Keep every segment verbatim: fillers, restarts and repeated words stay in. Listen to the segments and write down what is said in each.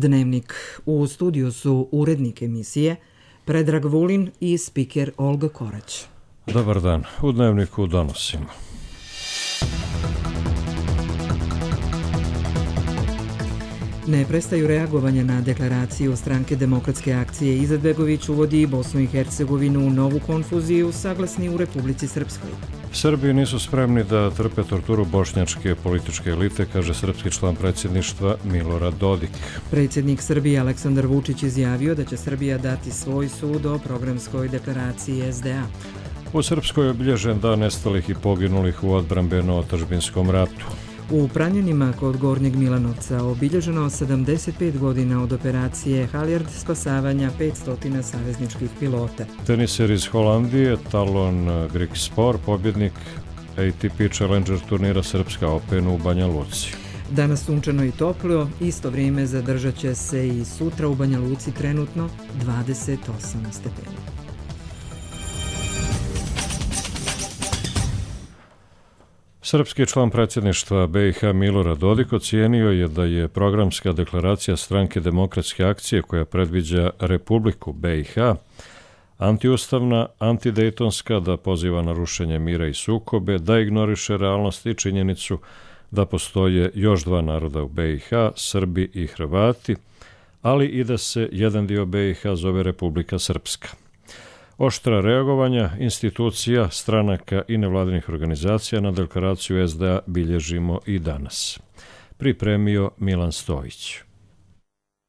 Dnevnik. U studiju su urednik emisije Predrag Vulin i spiker Olga Korać. Dobar dan. U Dnevniku donosimo. Ne prestaju reagovanja na deklaraciju Stranke demokratske akcije. Izetbegović uvodi Bosnu i Hercegovinu u novu konfuziju, saglasni u Republici Srpskoj. Srbi nisu spremni da trpe torturu bošnjačke političke elite, kaže srpski član predsjedništva Milorad Dodik. Predsjednik Srbije Aleksandar Vučić izjavio da će Srbija dati svoj sud o programskoj deklaraciji S D A. U Srpskoj je obilježen dan nestalih i poginulih u odbrambeno-otadžbinskom ratu. U Pranjanima kod Gornjeg Milanovca obilježeno sedamdeset pet godina od operacije Halijard spasavanja petsto savezničkih pilota. Teniser iz Holandije, Talon Grigspor, pobjednik A T P Challenger turnira Srpska Open u Banja Luci. Danas sunčano i toplo, isto vrijeme zadržat će se i sutra u Banja Luci, trenutno dvadeset osam stepeni. Srpski član predsjedništva B i H Milorad Dodik ocijenio je da je programska deklaracija Stranke demokratske akcije koja predviđa Republiku B i H antiustavna, antidejtonska, da poziva na rušenje mira i sukobe, da ignoriše realnost i činjenicu da postoje još dva naroda u B i H, Srbi i Hrvati, ali i da se jedan dio B i H zove Republika Srpska. Oštra reagovanja institucija, stranaka i nevladinih organizacija na deklaraciju S D A bilježimo i danas. Pripremio Milan Stojić.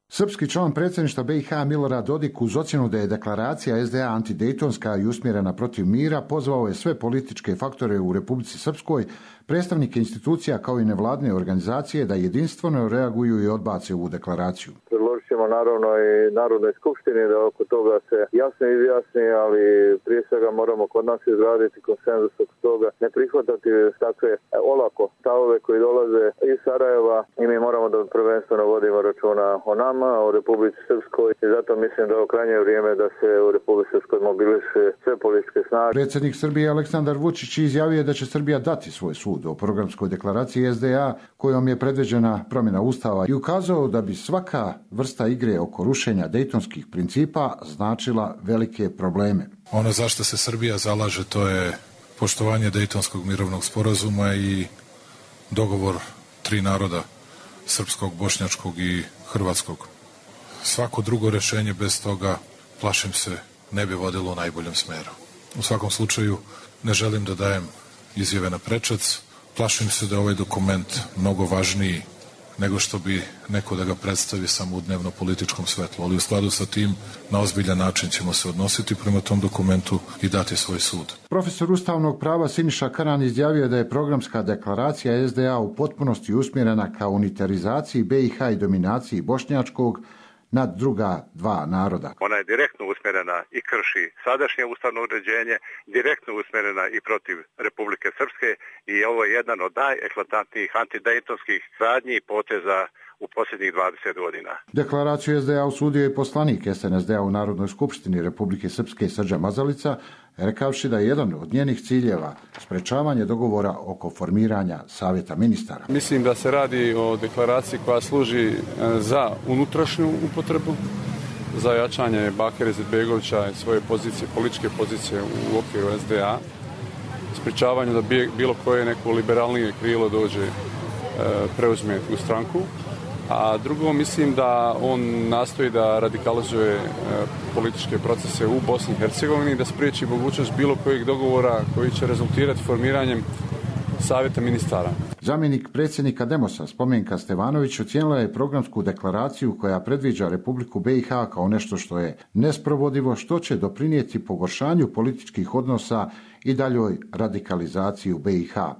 Srpski član predsjedništva B i H Milorad Dodik uz ocjenu da je deklaracija S D A antidejtonska i usmjerena protiv mira pozvao je sve političke faktore u Republici Srpskoj, predstavnike institucija kao i nevladine organizacije da jedinstveno reaguju i odbace ovu deklaraciju. Predložit ćemo naravno i Narodnoj skupštini da oko toga se jasno izjasni, ali prije svega moramo kod nas izraditi konsenzus oko toga, ne prihvatati takve olako stavove koji dolaze iz Sarajeva i mi moramo da prvenstveno vodimo računa o nama, o Republici Srpskoj i zato mislim da je krajnje vrijeme da se u Republici Srpskoj mobiliše sve političke snage. Predsjednik Srbije Aleksandar Vučić izjavio je da će Srbija dati svoj sud o programskoj deklaraciji S D A kojom je predviđena promjena Ustava i ukazao da bi svaka vrsta igre oko rušenja dejtonskih principa značila velike probleme. Ono zašto se Srbija zalaže to je poštovanje Dejtonskog mirovnog sporazuma i dogovor tri naroda, srpskog, bošnjačkog i hrvatskog. Svako drugo rješenje bez toga, plašim se, ne bi vodilo u najboljem smeru. U svakom slučaju ne želim da dajem izjave na prečac. Plašim se da je ovaj dokument mnogo važniji nego što bi neko da ga predstavi samo u dnevno političkom svetlu. Ali u skladu sa tim, na ozbiljan način ćemo se odnositi prema tom dokumentu i dati svoj sud. Profesor ustavnog prava Siniša Karan izjavio da je programska deklaracija S D A u potpunosti usmjerena ka unitarizaciji B i H i dominaciji bošnjačkog nad druga dva naroda. Ona je direktno usmjerena i krši sadašnje ustavno uređenje, direktno usmjerena i protiv Republike Srpske i ovo je jedan od najeklatantnijih antidejtonskih radnji i poteza u posljednjih dvadeset godina. Deklaraciju S D A osudio je poslanik S N S D A u Narodnoj skupštini Republike Srpske Srđan Mazalica, rekavši da je jedan od njenih ciljeva sprečavanje dogovora oko formiranja Savjeta ministara. Mislim da se radi o deklaraciji koja služi za unutrašnju upotrebu, za jačanje Bakira Izetbegovića i svoje pozicije, političke pozicije u okviru S D A, sprečavanju da bilo koje neko liberalnije krilo dođe, preuzme u stranku. A drugo, mislim da on nastoji da radikalizuje političke procese u Bosni i Hercegovini i da spriječi mogućnost bilo kojeg dogovora koji će rezultirati formiranjem Savjeta ministara. Zamjenik predsjednika Demosa Spomenka Stevanović ocijenila je programsku deklaraciju koja predviđa Republiku B i H kao nešto što je nesprovodivo, što će doprinijeti pogoršanju političkih odnosa i daljoj radikalizaciji u B i H.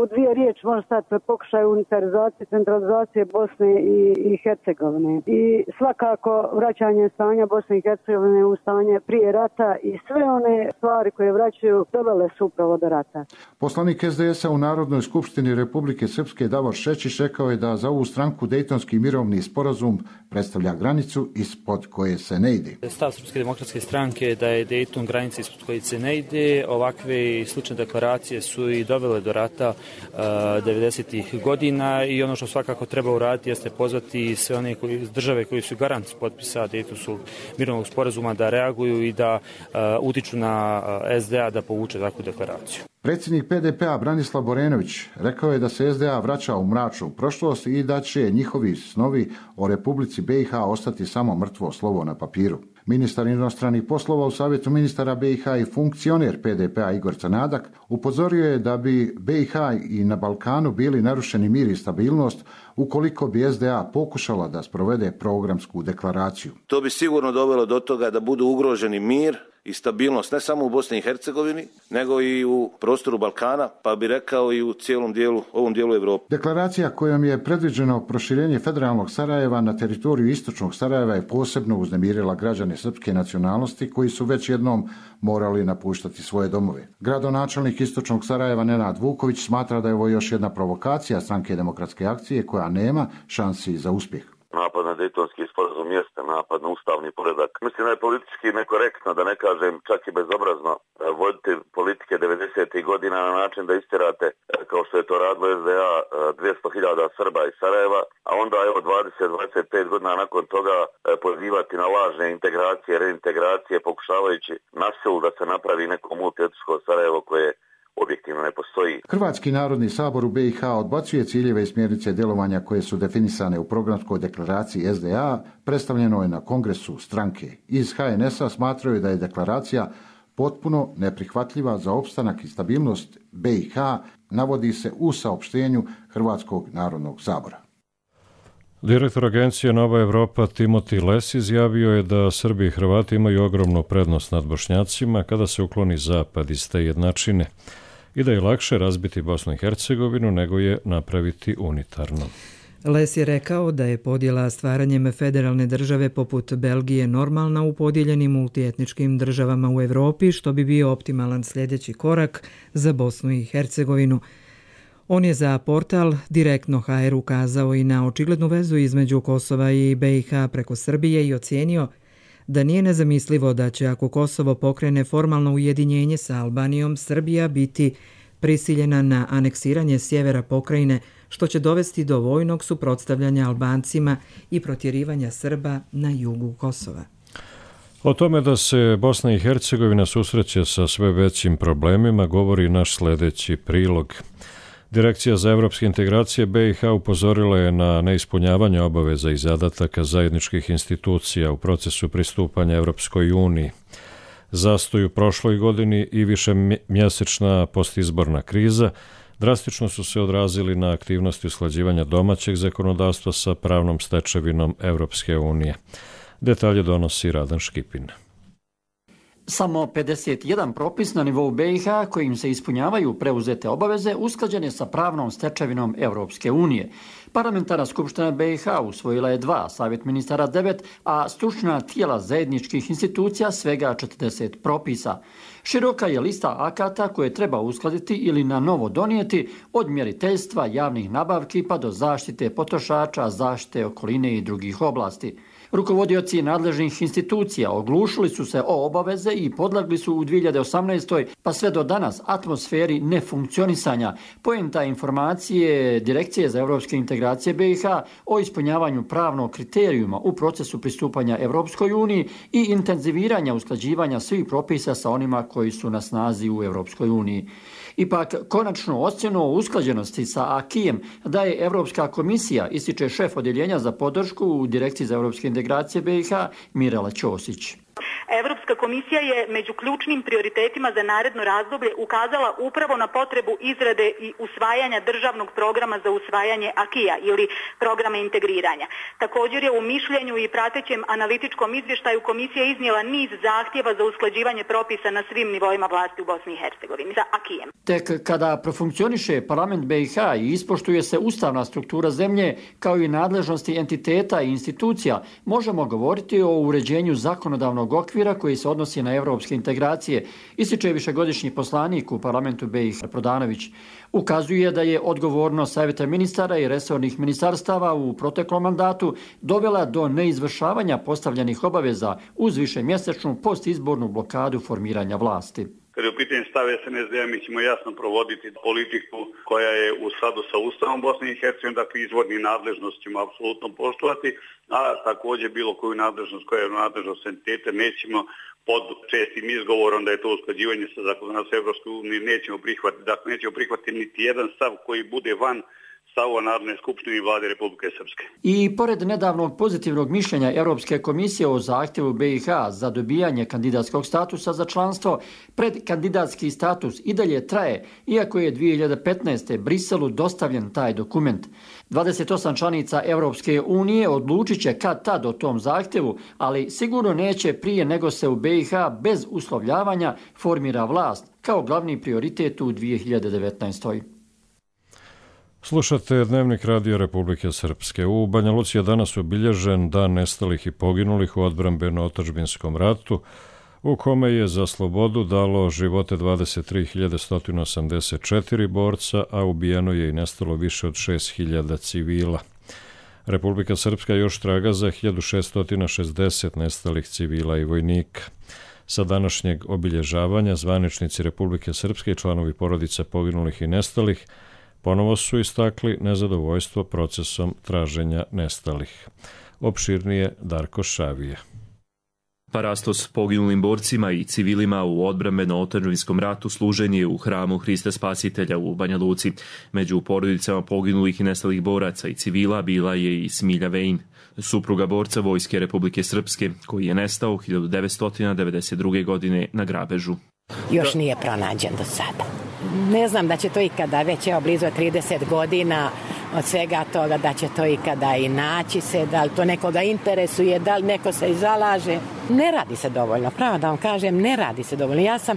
U dvije riječi može stati pokušaj unitarizacije, centralizacije Bosne i, i Hercegovine. I svakako vraćanje stanja Bosne i Hercegovine u stanje prije rata i sve one stvari koje vraćaju dovele su upravo do rata. Poslanik S D S-a u Narodnoj skupštini Republike Srpske Davor Šečić rekao je da za ovu stranku Dejtonski mirovni sporazum predstavlja granicu ispod koje se ne ide. Stav Srpske demokratske stranke je da je Dejton granica ispod koje se ne ide. Ovakve slične deklaracije su i dovele do rata procesa devedesetih godina i ono što svakako treba uraditi jeste pozvati sve one koji, države koji su garant potpisa Dejtonskog mirovnog sporazuma da reaguju i da utiču na S D A da povuče takvu deklaraciju. Predsjednik P D P-a Branislav Borenović rekao je da se S D A vraća u mračnu prošlost i da će njihovi snovi o Republici B i H ostati samo mrtvo slovo na papiru. Ministar inostranih poslova u Savjetu ministara B i H i funkcioner P D P-a Igor Crnadak upozorio je da bi B i H i na Balkanu bili narušeni mir i stabilnost ukoliko bi S D A pokušala da sprovede programsku deklaraciju. To bi sigurno dovelo do toga da budu ugroženi mir i stabilnost ne samo u Bosni i Hercegovini, nego i u prostoru Balkana, pa bi rekao i u cijelom dijelu, ovom dijelu Europe. Deklaracija kojom je predviđeno proširenje federalnog Sarajeva na teritoriju istočnog Sarajeva je posebno uznemirila građane srpske nacionalnosti koji su već jednom morali napuštati svoje domove. Gradonačelnik istočnog Sarajeva Nenad Vuković smatra da je ovo još jedna provokacija Stranke demokratske akcije koja nema šansi za uspjeh. Napad na Dejtonski sporazum jeste napad na ustavni poredak. Mislim da je politički nekorektno, da ne kažem čak i bezobrazno, voditi politike devedesetih godina na način da istjerate, kao što je to radilo S D A, dvjesto hiljada Srba iz Sarajeva, a onda evo dvadeset do dvadeset pet godina nakon toga pozivati na lažne integracije, reintegracije, pokušavajući na silu da se napravi neko multietničko Sarajevo koje objektivno ne postoji. Hrvatski narodni sabor u B i H odbacuje ciljeve i smjernice djelovanja koje su definisane u programskoj deklaraciji S D A, predstavljeno je na kongresu stranke. Iz H N S-a smatraju da je deklaracija potpuno neprihvatljiva za opstanak i stabilnost B i H, navodi se u saopštenju Hrvatskog narodnog sabora. Direktor agencije Nova Evropa Timoti Les izjavio je da Srbi i Hrvati imaju ogromnu prednost nad Bošnjacima kada se ukloni zapad iz te jednačine i da je lakše razbiti Bosnu i Hercegovinu nego je napraviti unitarno. Les je rekao da je podjela stvaranjem federalne države poput Belgije normalna u podijeljenim multietničkim državama u Evropi, što bi bio optimalan sljedeći korak za Bosnu i Hercegovinu. On je za portal Direktno H R ukazao i na očiglednu vezu između Kosova i B i H preko Srbije i ocijenio da nije nezamislivo da će ako Kosovo pokrene formalno ujedinjenje sa Albanijom, Srbija biti prisiljena na aneksiranje sjevera pokrajine, što će dovesti do vojnog suprotstavljanja Albancima i protjerivanja Srba na jugu Kosova. O tome da se Bosna i Hercegovina susreće sa sve većim problemima govori naš sljedeći prilog. Direkcija za evropske integracije B i H upozorila je na neispunjavanje obaveza i zadataka zajedničkih institucija u procesu pristupanja Evropskoj uniji. Zastoj u prošloj godini i višemjesečna postizborna kriza drastično su se odrazili na aktivnosti usklađivanja domaćeg zakonodavstva sa pravnom stečevinom Evropske unije. Detalje donosi Radan Škipin. Samo pedeset jedan propis na nivou B i H kojim se ispunjavaju preuzete obaveze usklađene sa pravnom stečevinom Evropske unije. Parlamentarna skupština B i H usvojila je dva, Savjet ministara devet, a stručna tijela zajedničkih institucija svega četrdeset propisa. Široka je lista akata koje treba uskladiti ili na novo donijeti, od mjeriteljstva, javnih nabavki pa do zaštite potrošača, zaštite okoline i drugih oblasti. Rukovodioci nadležnih institucija oglušili su se o obaveze i podlegli su u dvije hiljade osamnaestoj pa sve do danas atmosferi nefunkcionisanja. Poenta informacije Direkcije za evropske integracije B i H o ispunjavanju pravnog kriterijuma u procesu pristupanja Evropskoj uniji i intenziviranja usklađivanja svih propisa sa onima koji su na snazi u Evropskoj uniji. Ipak, konačnu ocjenu o usklađenosti sa akijem daje Evropska komisija, ističe šef odjeljenja za podršku u Direkciji za evropske integracije B i H Mirela Ćosić. Evropska komisija je među ključnim prioritetima za naredno razdoblje ukazala upravo na potrebu izrade i usvajanja državnog programa za usvajanje akija ili programa integriranja. Također je u mišljenju i pratećem analitičkom izvještaju komisija iznijela niz zahtjeva za usklađivanje propisa na svim nivoima vlasti u Bosni i Hercegovini sa akijem. Tek kada profunkcioniše parlament B i H i ispoštuje se ustavna struktura zemlje kao i nadležnosti entiteta i institucija, možemo govoriti o uređenju zakonodavnog okvira koji se odnosi na evropske integracije, ističe višegodišnji poslanik u parlamentu B i H Prodanović. Ukazuje da je odgovornost Savjeta ministara i resornih ministarstava u proteklom mandatu dovela do neizvršavanja postavljenih obaveza uz višemjesečnu postizbornu blokadu formiranja vlasti. Kad je u pitanju stav S N S D-a, mi ćemo jasno provoditi politiku koja je u skladu sa Ustavom Bosne i Hercegovine, dakle izvorni nadležnost ćemo apsolutno poštovati, a također bilo koju nadležnost koja je nadležnost entiteta nećemo pod čestim izgovorom da je to usklađivanje sa zakonodavstvom Evropske unije nećemo prihvatiti. Dakle, nećemo prihvatiti niti jedan stav koji bude van stavova Narodne skupštine i vlade Republike Srpske. I pored nedavnog pozitivnog mišljenja Europske komisije o zahtjevu B i H za dobijanje kandidatskog statusa za članstvo, predkandidatski status i dalje traje, iako je dvije hiljade petnaeste. Briselu dostavljen taj dokument. dvadeset osam članica Europske unije odlučit će kad tad o tom zahtjevu, ali sigurno neće prije nego se u B i H bez uslovljavanja formira vlast, kao glavni prioritet u dvije hiljade devetnaestoj. Slušate Dnevnik Radio Republike Srpske. U Banja Luci je danas obilježen dan nestalih i poginulih u odbrambeno-otadžbinskom ratu, u kome je za slobodu dalo živote dvadeset tri hiljade sto osamdeset četiri borca, a ubijeno je i nestalo više od šest hiljada civila. Republika Srpska još traga za hiljadu šesto šezdeset nestalih civila i vojnika. Sa današnjeg obilježavanja zvaničnici Republike Srpske i članovi porodica poginulih i nestalih ponovo su istakli nezadovoljstvo procesom traženja nestalih. Opširnije Darko Šavije. Parastos poginulim borcima i civilima u odbrambeno-otadžbinskom ratu služen je u hramu Hrista Spasitelja u Banja Luci. Među porodicama poginulih i nestalih boraca i civila bila je i Smilja Vejn, supruga borca Vojske Republike Srpske, koji je nestao hiljadu devetsto devedeset druge. godine na grabežu. Još nije pronađen do sada. Ne znam da će to ikada, već je blizu trideset godina od svega toga, da će to ikada i naći se, da li to nekoga interesuje, da li neko se i zalaže. Ne radi se dovoljno, pravo da vam kažem, ne radi se dovoljno. Ja sam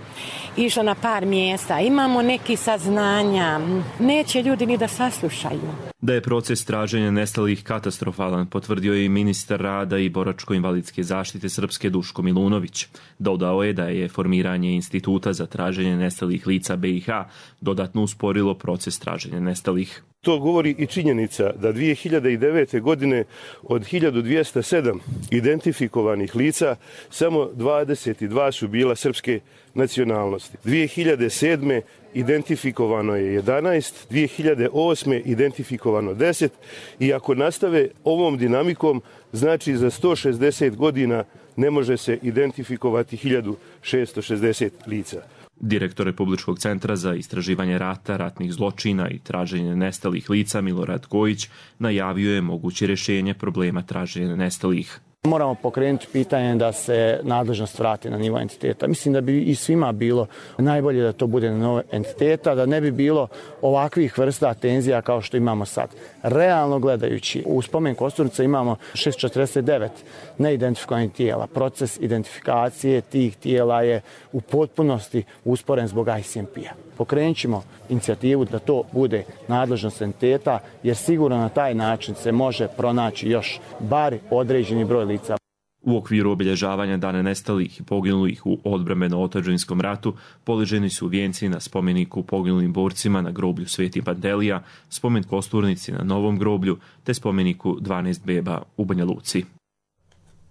išla na par mjesta, imamo neki saznanja, neće ljudi ni da saslušaju. Da je proces traženja nestalih katastrofalan, potvrdio je i ministar rada i boračko-invalidske zaštite Srpske Duško Milunović. Dodao je da je formiranje instituta za traženje nestalih lica B i H dodatno usporilo proces traženja nestalih. To govori i činjenica da dvije hiljade devete. godine od hiljadu dvjesto sedam identifikovanih lica samo dvadeset dva su bila srpske nacionalnosti. dvije hiljade sedme. identifikovano je jedanaest, dvije hiljade osme. identifikovano deset i ako nastave ovom dinamikom, znači za sto šezdeset godina ne može se identifikovati hiljadu šesto šezdeset lica. Direktor Republičkog centra za istraživanje rata, ratnih zločina i traženje nestalih lica Milorad Kojić najavio je moguće rješenje problema traženja nestalih. Moramo pokrenuti pitanje da se nadležnost vrati na nivo entiteta. Mislim da bi i svima bilo najbolje da to bude na nivo entiteta, da ne bi bilo ovakvih vrsta tenzija kao što imamo sad. Realno gledajući, u spomen Kosturnica imamo šesto četrdeset devet neidentifikovanih tijela. Proces identifikacije tih tijela je u potpunosti usporen zbog I C M P-a. Pokrenut ćemo inicijativu da to bude nadležnost entiteta, jer sigurno na taj način se može pronaći još bar određeni broj lica. U okviru obilježavanja dana nestalih i poginulih u odbrambeno-otadžbinskom ratu poliženi su vijenci na spomeniku poginulim borcima na groblju Sveti Pantelija, spomen Kosturnici na Novom groblju te spomeniku dvanaest beba u Banja Luci.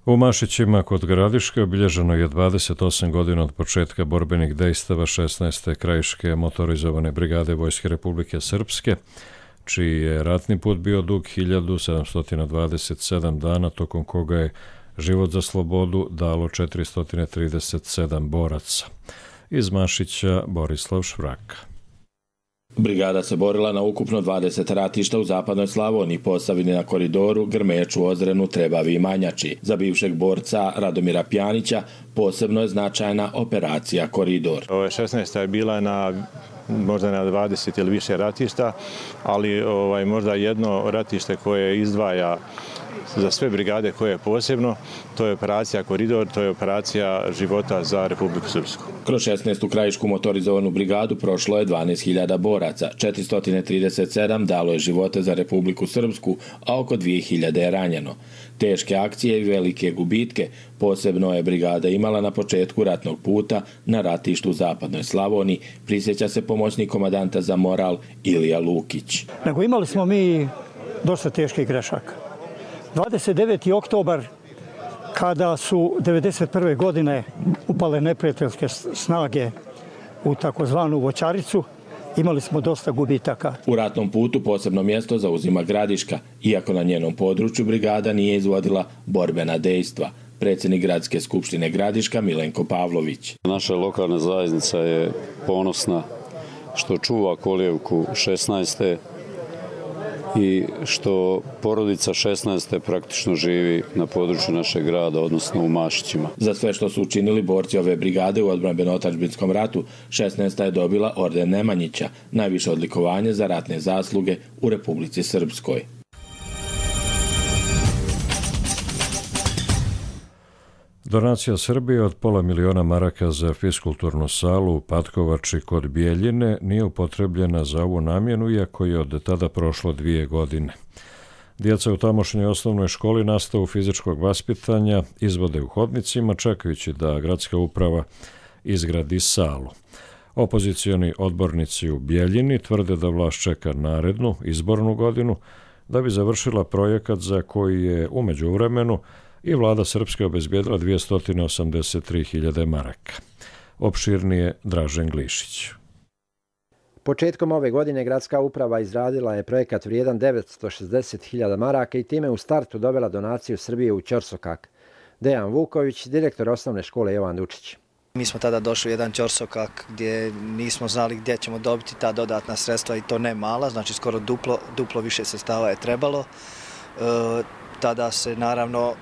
U Mašićima kod Gradiške obilježeno je dvadeset osam godina od početka borbenih dejstava šesnaeste krajiške motorizovane brigade Vojske Republike Srpske, čiji je ratni put bio dug hiljadu sedamsto dvadeset sedam dana, tokom koga je život za slobodu dalo četiristo trideset sedam boraca. Iz Mašića Borislav Švraka. Brigada se borila na ukupno dvadeset ratišta u zapadnoj Slavoniji, Posavini, na Koridoru, Grmeču, Ozrenu, Trebavi i Manjači. Za bivšeg borca Radomira Pjanića posebno je značajna operacija Koridor. Ovo je šesnaesta je bila na možda na dvadeset ili više ratišta, ali ovaj, možda jedno ratište koje izdvaja za sve brigade koje je posebno, to je operacija Koridor, to je operacija života za Republiku Srpsku. Kroz šesnaestu krajišku motorizovanu brigadu prošlo je dvanaest hiljada boraca, četiristo trideset sedam dalo je živote za Republiku Srpsku, a oko dvije hiljade je ranjeno. Teške akcije i velike gubitke posebno je brigada imala na početku ratnog puta na ratištu u zapadnoj Slavoniji, prisjeća se pomoćnik komandanta za moral Ilija Lukić. Nego imali smo mi dosta teških grešaka. dvadeset deveti oktobar, kada su devedeset prve godine upale neprijateljske snage u takozvanu voćaricu, imali smo dosta gubitaka. U ratnom putu posebno mjesto zauzima Gradiška, iako na njenom području brigada nije izvodila borbena dejstva. Predsjednik Gradske skupštine Gradiška Milenko Pavlović. Naša lokalna zajednica je ponosna što čuva kolijevku šesnaeste i što porodica šesnaeste praktično živi na području našeg grada, odnosno u Mašićima. Za sve što su učinili borci ove brigade u odbrambeno-otadžbinskom ratu, šesnaesta je dobila orden Nemanjića, najviše odlikovanje za ratne zasluge u Republici Srpskoj. Donacija Srbije od pola miliona maraka za fiskulturnu salu u Patkovači kod Bijeljine nije upotrebljena za ovu namjenu, iako je od tada prošlo dvije godine. Djeca u tamošnjoj osnovnoj školi nastavu fizičkog vaspitanja izvode u hodnicima, čekajući da gradska uprava izgradi salu. Opozicioni odbornici u Bijeljini tvrde da vlast čeka narednu izbornu godinu da bi završila projekat za koji je u međuvremenu i vlada Srpske obezbijedila dvjesto osamdeset tri hiljade maraka. Opširnije Dražen Glišić. Početkom ove godine gradska uprava izradila je projekat vrijedan devetsto šezdeset hiljada maraka i time u startu dovela donaciju Srbije u Ćorsokak. Dejan Vuković, direktor osnovne škole Jovan Dučić. Mi smo tada došli u jedan Ćorsokak gdje nismo znali gdje ćemo dobiti ta dodatna sredstva i to ne mala, znači skoro duplo, duplo više sredstava je trebalo. E, tada se naravno e,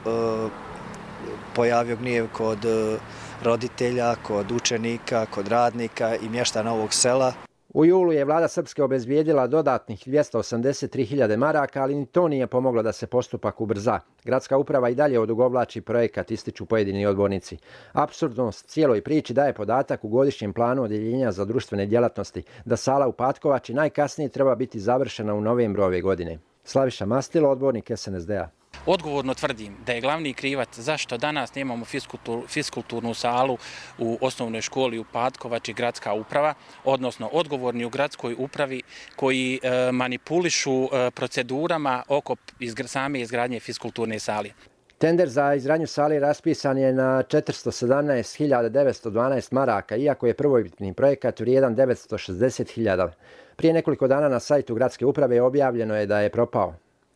pojavio gnjev kod e, roditelja, kod učenika, kod radnika i mještana ovog sela. U julu je vlada Srpske obezbijedila dodatnih dvjesto osamdeset tri hiljade maraka, ali ni to nije pomoglo da se postupak ubrza. Gradska uprava i dalje odugovlači projekat, ističu pojedini odbornici. Apsurdnost cijeloj priči daje podatak u godišnjem planu odjeljenja za društvene djelatnosti da sala u Patkovači najkasnije treba biti završena u novembru ove godine. Slaviša Mastilo, odbornik S N S D-a. Odgovorno tvrdim da je glavni krivac zašto danas nemamo fiskultur, fiskulturnu salu u osnovnoj školi u Patkovači gradska uprava, odnosno odgovorni u gradskoj upravi koji e, manipulišu e, procedurama oko izgr, same izgradnje fiskulturne sale. Tender za izgradnju sale raspisan je na četiristo sedamnaest hiljada devetsto dvanaest maraka, iako je prvobitni projekat vrijedan devetsto šezdeset hiljada. Prije nekoliko dana na sajtu gradske uprave objavljeno je da je propao.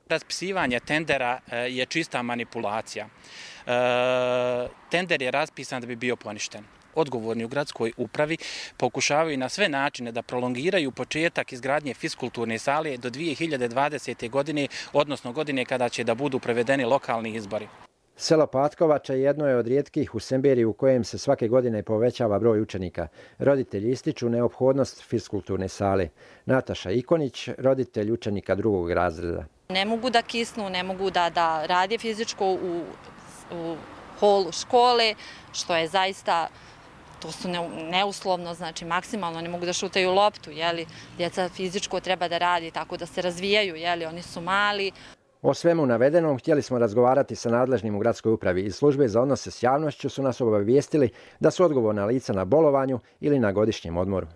Raspisivanje tendera je čista manipulacija. Tender je raspisan da bi bio poništen. Odgovorni u gradskoj upravi pokušavaju na sve načine da prolongiraju početak izgradnje fiskulturne sale do dvije hiljade dvadesete. godine, odnosno godine kada će da budu provedeni lokalni izbori. Selo Patkovača jedno je od rijetkih u Semberiji u kojem se svake godine povećava broj učenika. Roditelji ističu neophodnost fiskulturne sale. Nataša Ikonić, roditelj učenika drugog razreda. Ne mogu da kisnu, ne mogu da, da rade fizičko u, u holu škole, što je zaista, to su ne, neuslovno, znači maksimalno ne mogu da šutaju loptu, jeli, djeca fizičko treba da radi tako da se razvijaju, jeli, oni su mali. O svemu navedenom htjeli smo razgovarati sa nadležnim u gradskoj upravi. Iz službe za odnose s javnošću su nas obavijestili da su odgovorna lica na bolovanju ili na godišnjem odmoru.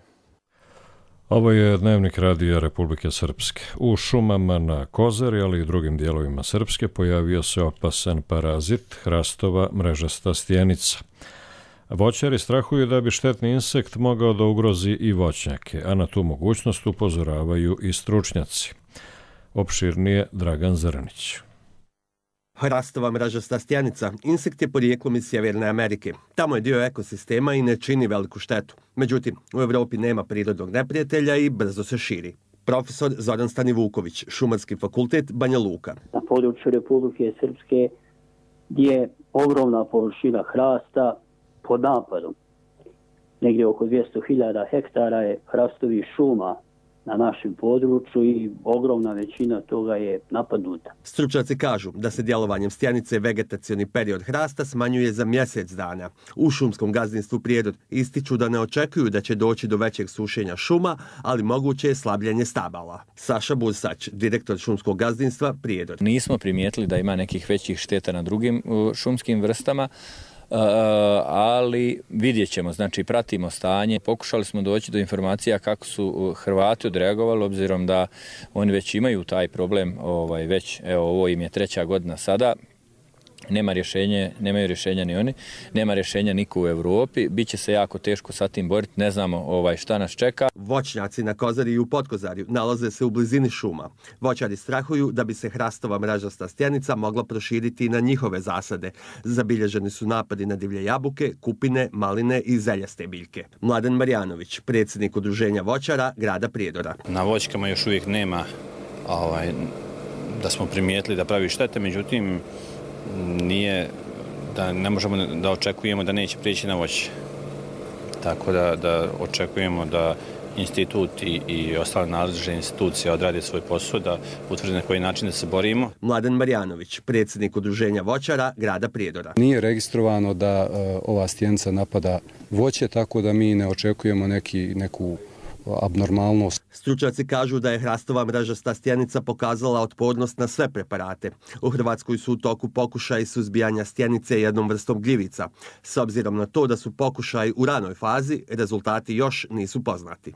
Ovo je dnevnik radija Republike Srpske. U šumama na Kozari, ali i drugim dijelovima Srpske pojavio se opasan parazit hrastova mrežasta stjenica. Voćari strahuju da bi štetni insekt mogao da ugrozi i voćnjake, a na tu mogućnost upozoravaju i stručnjaci. Opširnije Dragan Zrnić. Hrastova mrežasta stjenica, insekt je porijeklom iz Sjeverne Amerike. Tamo je dio ekosistema i ne čini veliku štetu. Međutim, u Evropi nema prirodnog neprijatelja i brzo se širi. Profesor Zoran Stanivuković, Šumarski fakultet, Banja Luka. Na području Republike Srpske je ogromna površina hrasta pod napadom. Negdje oko dvjesto hiljada hektara je hrastovih šuma na našem području i ogromna većina toga je napadnuta. Stručnjaci kažu da se djelovanjem stjenice vegetacioni period hrasta smanjuje za mjesec dana. U šumskom gazdinstvu Prijedor ističu da ne očekuju da će doći do većeg sušenja šuma, ali moguće je slabljenje stabala. Saša Bursać, direktor šumskog gazdinstva Prijedor. Nismo primijetili da ima nekih većih šteta na drugim šumskim vrstama, Uh, ali vidjet ćemo, znači pratimo stanje. Pokušali smo doći do informacija kako su Hrvati odreagovali, obzirom da oni već imaju taj problem, ovaj, već, evo, ovo im je treća godina sada. Nema rješenje, nemaju rješenja ni oni, nema rješenja niko u Evropi, biće se jako teško sa tim boriti, ne znamo ovaj, šta nas čeka. Voćnjaci na Kozari i u Potkozarju nalaze se u blizini šuma. Voćari strahuju da bi se hrastova mrežasta stjenica mogla proširiti i na njihove zasade. Zabilježeni su napadi na divlje jabuke, kupine, maline i zeljaste biljke. Mladen Marjanović, predsjednik udruženja voćara grada Prijedora. Na voćkama još uvijek nema ovaj, da smo primijetili da pravi štete, međutim nije da ne možemo da očekujemo da neće prijeći na voće. Tako da, da očekujemo da institut i, i ostale nadležne institucije odrade svoj posao, da utvrde na koji način da se borimo. Mladen Marjanović, predsjednik udruženja voćara grada Prijedora. Nije registrovano da uh, ova stjenica napada voće, tako da mi ne očekujemo neki, neku abnormalnost. Stručnjaci kažu da je hrastova mrežasta stjenica pokazala otpornost na sve preparate. U Hrvatskoj su u toku pokušaji suzbijanja stjenice jednom vrstom gljivica. S obzirom na to da su pokušaji u ranoj fazi, rezultati još nisu poznati.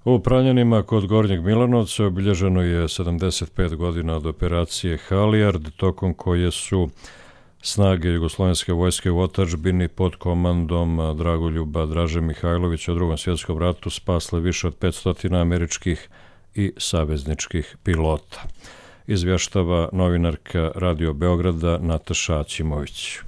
U Pranjanima kod Gornjeg Milanovca obilježeno je sedamdeset pet godina od operacije Halijard, tokom koje su snage Jugoslovenske vojske u otadžbini pod komandom Dragoljuba Draže Mihajlovića u Drugom svjetskom ratu spasle više od petsto američkih i savezničkih pilota. Izvještava novinarka Radio Beograda Nataša Ćimović.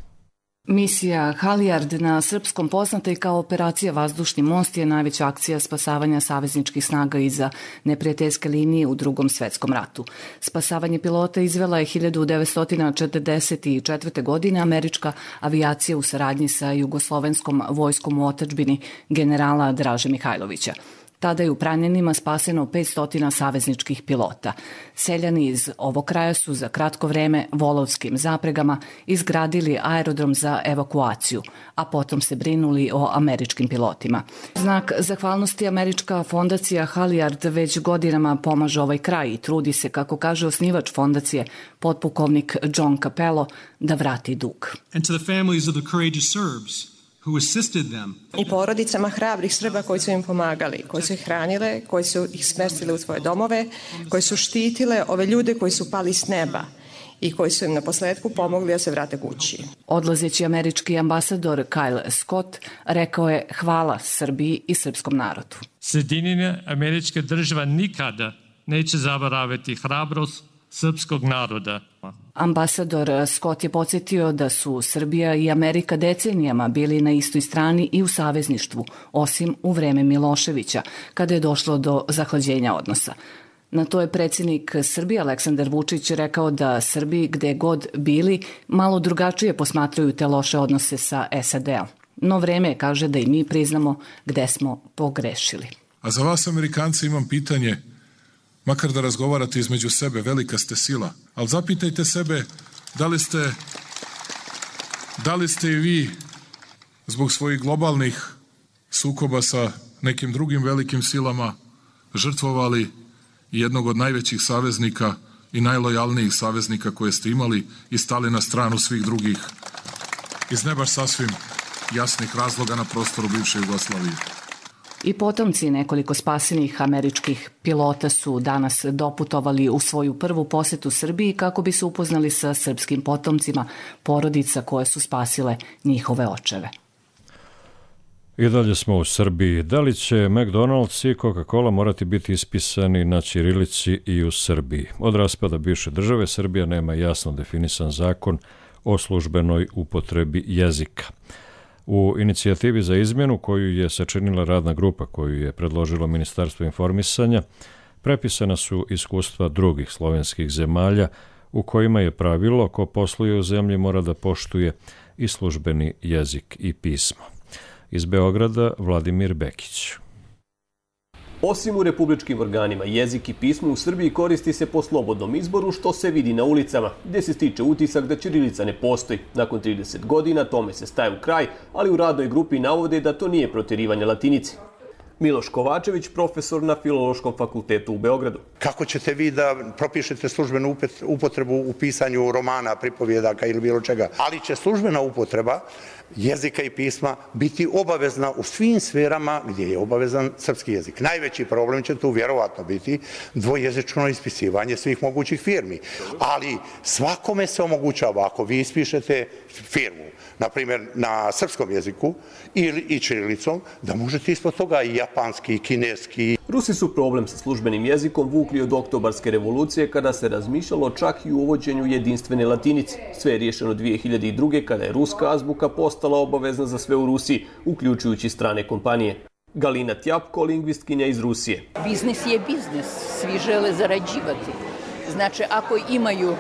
Misija Halijard, na srpskom poznata i kao operacija Vazdušni most, je najveća akcija spasavanja savezničkih snaga iza neprijateljske linije u Drugom svjetskom ratu. Spasavanje pilota izvela je hiljadu devetsto četrdeset četvrte. godine američka avijacija u saradnji sa Jugoslovenskom vojskom u otadžbini generala Draže Mihajlovića. Tada je u Pranjanima spaseno petsto savezničkih pilota. Seljani iz ovog kraja su za kratko vreme volovskim zapregama izgradili aerodrom za evakuaciju, a potom se brinuli o američkim pilotima. Znak zahvalnosti američka fondacija Halijard već godinama pomaže ovaj kraj i trudi se, kako kaže osnivač fondacije, potpukovnik John Capello, da vrati dug. And to the families of the courageous Serbs who assisted them. I porodicama hrabrih Srba koji su im pomagali, koji su ih hranile, koji su ih smestile u svoje domove, koji su štitile ove ljude koji su pali s neba i koji su im na posledku pomogli da se vrate kući. Odlazeći američki ambasador Kyle Scott rekao je hvala Srbiji i srpskom narodu. Sjedinjene Američke države nikada neće zaboraviti hrabrost srpskog naroda. Ambasador Scott je podsjetio da su Srbija i Amerika decenijama bili na istoj strani i u savezništvu, osim u vreme Miloševića, kada je došlo do zahlađenja odnosa. Na to je predsjednik Srbije Aleksandar Vučić rekao da Srbi, gde god bili, malo drugačije posmatraju te loše odnose sa S A D-om. No vreme je, kaže, da i mi priznamo gde smo pogrešili. A za vas, Amerikanci, imam pitanje. Makar da razgovarate između sebe, velika ste sila. Ali zapitajte sebe da li ste, da li ste i vi zbog svojih globalnih sukoba sa nekim drugim velikim silama žrtvovali jednog od najvećih saveznika i najlojalnijih saveznika koje ste imali i stali na stranu svih drugih iz ne baš sasvim jasnih razloga na prostoru bivše Jugoslavije. I potomci nekoliko spasenih američkih pilota su danas doputovali u svoju prvu posjetu Srbiji kako bi se upoznali sa srpskim potomcima porodica koje su spasile njihove očeve. I dalje smo u Srbiji. Da li će McDonald's i Coca-Cola morati biti ispisani na ćirilici i u Srbiji? Od raspada bivše države Srbija nema jasno definisan zakon o službenoj upotrebi jezika. U inicijativi za izmjenu koju je sačinila radna grupa koju je predložilo Ministarstvo informisanja, prepisana su iskustva drugih slovenskih zemalja u kojima je pravilo ko posluje u zemlji mora da poštuje i službeni jezik i pismo. Iz Beograda Vladimir Bekić. Osim u republičkim organima, jezik i pismo u Srbiji koristi se po slobodnom izboru, što se vidi na ulicama, gdje se stiče utisak da ćirilica ne postoji. Nakon trideset godina tome se staje u kraj, ali u radnoj grupi navode da to nije protjerivanje latinici. Miloš Kovačević, profesor na Filološkom fakultetu u Beogradu. Kako ćete vi da propišete službenu upotrebu u pisanju romana, pripovjedaka ili bilo čega? Ali će službena upotreba jezika i pisma biti obavezna u svim sferama gdje je obavezan srpski jezik. Najveći problem će tu vjerovatno biti dvojezično ispisivanje svih mogućih firmi. Ali svakome se omogućava, ako vi ispišete firmu, na primjer na srpskom jeziku ili i ćirilicom, da možete ispod toga i japanski, i kineski. Rusi su problem sa službenim jezikom vukli od oktobarske revolucije kada se razmišljalo čak i u uvođenju jedinstvene latinice. Sve je riješeno dvije hiljade druge. kada je ruska azbuka postala obavezna za sve u Rusiji, uključujući strane kompanije. Galina Tjapko, lingvistkinja iz Rusije. Biznis je biznis, svi žele zarađivati. Znači, ako imaju,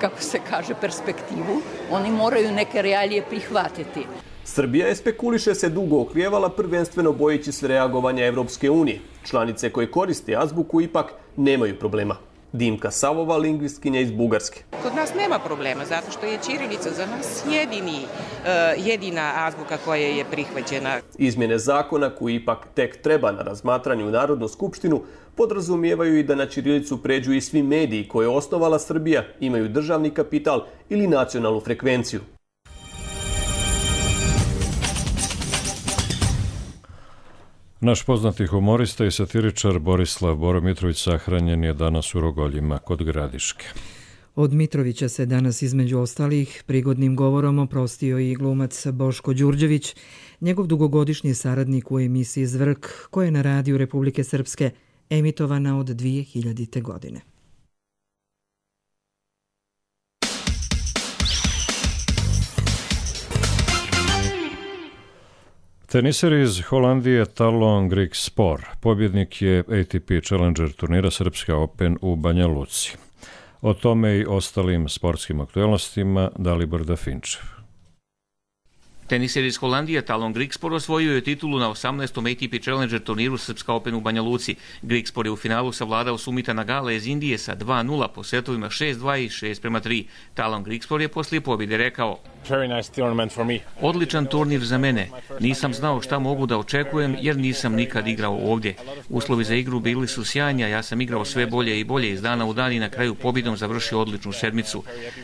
kako se kaže, perspektivu, oni moraju neke realije prihvatiti. Srbija je, spekuliše se, dugo oklijevala, prvenstveno bojeći se reagovanja Evropske unije. Članice koje koriste azbuku ipak nemaju problema. Dimka Savova, lingvistkinja iz Bugarske. Kod nas nema problema, zato što je ćirilica za nas jedini, jedina azbuka koja je prihvaćena. Izmjene zakona, koji ipak tek treba na razmatranju u Narodnu skupštinu, podrazumijevaju i da na ćirilicu pređu i svi mediji koje je osnovala Srbija, imaju državni kapital ili nacionalnu frekvenciju. Naš poznati humorista i satiričar Borislav Boro Mitrović sahranjen je danas u Rogoljima kod Gradiške. Od Mitrovića se danas između ostalih prigodnim govorom oprostio i glumac Boško Đurđević, njegov dugogodišnji saradnik u emisiji Zvrk, koja je na radiju Republike Srpske emitovana od dvije hiljadite. godine. Teniser iz Holandije Talon Griekspoor pobjednik je A T P Challenger turnira Srpska Open u Banja Luci. O tome i ostalim sportskim aktualnostima Dalibor Dafinčev. Teniser iz Holandije Talon Griekspoor osvojio je titulu na osamnaestom A T P Challenger turniru Srpska Open u Banja Luci. Griekspoor je u finalu savladao Sumita Nagala iz Indije sa dva nula po setovima šest dva i šest prema tri. Talon Griekspoor je poslije pobjede rekao: Odličan turnir za mene. Nisam znao šta mogu da očekujem jer nisam nikad igrao ovdje. Uslovi za igru bili su sjajni, a ja sam igrao sve bolje i bolje iz dana u dan i na kraju pobjedom završio odličnu sedmicu.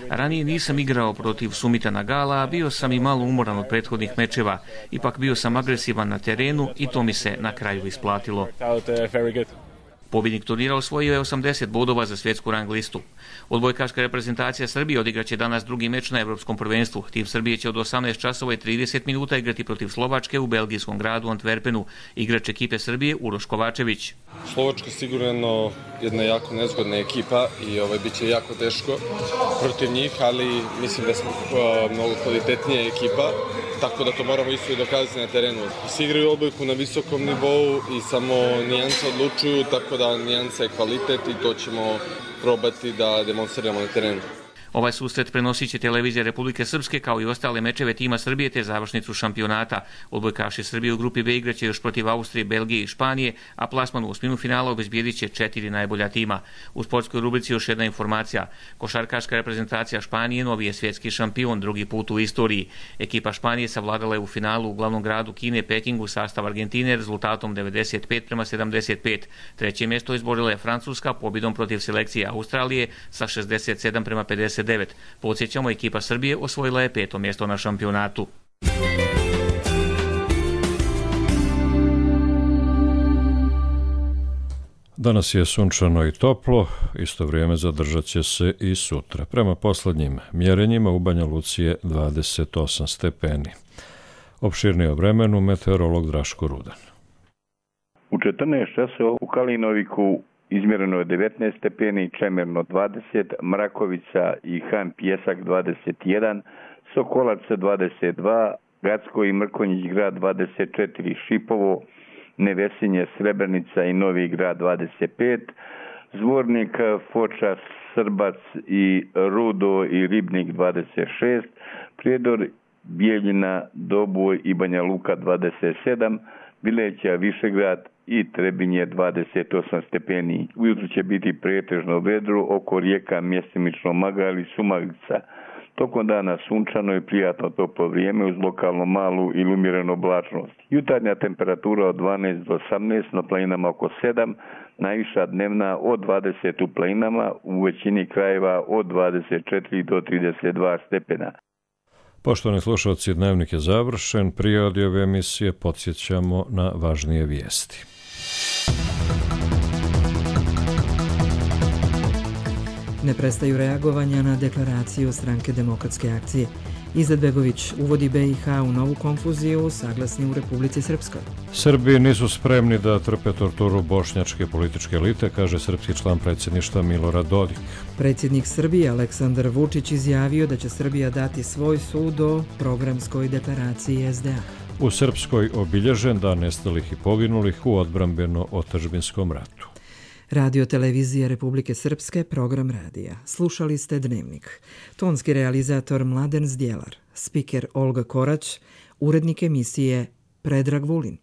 Ranije nisam igrao protiv Sumita Nagala, a bio sam i malo umoran od prethodnih mečeva. Ipak bio sam agresivan na terenu i to mi se na kraju isplatilo. Pobjednik turnira osvojio je osamdeset bodova za svjetsku rang listu. Odbojkaška reprezentacija Srbije odigraće danas drugi meč na Evropskom prvenstvu. Tim Srbije će od osamnaest časova i trideset minuta igrati protiv Slovačke u belgijskom gradu Antwerpenu. Igrač ekipe Srbije Uroš Kovačević. Slovačka sigurno jedna jako nezgodna ekipa i ovaj biće jako teško protiv njih, ali mislim da smo uh, mnogo kvalitetnija ekipa, tako da to moramo isto i dokazati na terenu. Svi igraju odbojku na visokom nivou i samo nijance odlučuju, tako da nijansa je kvalitet i to ćemo probati da demonstriramo na terenu. Ovaj susret prenosit će televizija Republike Srpske kao i ostale mečeve tima Srbije te završnicu šampionata. Odbojkaši Srbije u grupi B igraće još protiv Austrije, Belgije i Španije, a plasman u osminu finala obezbijedit će četiri najbolja tima. U sportskoj rubrici još jedna informacija. Košarkaška reprezentacija Španije novi je svjetski šampion drugi put u istoriji. Ekipa Španije savladala je u finalu u glavnom gradu Kine, Pekingu, sastav Argentine rezultatom devedeset pet prema sedamdeset pet. Treće mjesto izborila je Francuska pobjedom protiv selekcije Australije sa šezdeset sedam prema pedeset devet. Podsjećamo, ekipa Srbije osvojila je peto mjesto na šampionatu. Danas je sunčano i toplo, isto vrijeme zadržat će se i sutra. Prema poslednjim mjerenjima u Banja Luci je dvadeset osam stepeni. Opširnije o vremenu meteorolog Draško Rudan. U četrnaest časova u Kalinoviku izmjereno je devetnaest stepeni, Čemerno dvadeset, Mrakovica i Han Pjesak dvadeset jedan, Sokolac dvadeset dva, Gacko i Mrkonjić grad dvadeset četiri, Šipovo, Nevesinje, Srebrenica i Novi grad dvadeset pet, Zvornik, Foča, Srbac i Rudo i Ribnik dvadeset šest, Prijedor, Bijeljina, Doboj i Banja Luka dvadeset sedam, Bileća, Višegrad i Trebinje dvadeset osam stepeni. Ujutro će biti pretežno vedro, oko rijeka mjestimično Magali, Sumaglica Tokom dana sunčano i prijatno toplo vrijeme uz lokalno malu ili umjerenu oblačnost. Jutarnja temperatura od dvanaest do osamnaest, na planinama oko sedam, najviša dnevna od dvadeset u planinama, u većini krajeva od dvadeset četiri do trideset dva stepena. Poštovani slušalci, dnevnik je završen. Prije ove emisije podsjećamo na važnije vijesti. Ne prestaju reagovanja na deklaraciju Stranke demokratske akcije. Izetbegović uvodi B i H u novu konfuziju, saglasni u Republici Srpskoj. Srbi nisu spremni da trpe torturu bošnjačke političke elite, kaže srpski član predsjedništva Milorad Dodik. Predsjednik Srbije Aleksandar Vučić izjavio da će Srbija dati svoj sud o programskoj deklaraciji S D A. U Srpskoj obilježen dan nestalih i poginulih u odbrambeno-otadžbinskom ratu. Radio televizije Republike Srpske, program radija. Slušali ste Dnevnik. Tonski realizator Mladen Zdjelar, spiker Olga Korać, urednik emisije Predrag Vulin.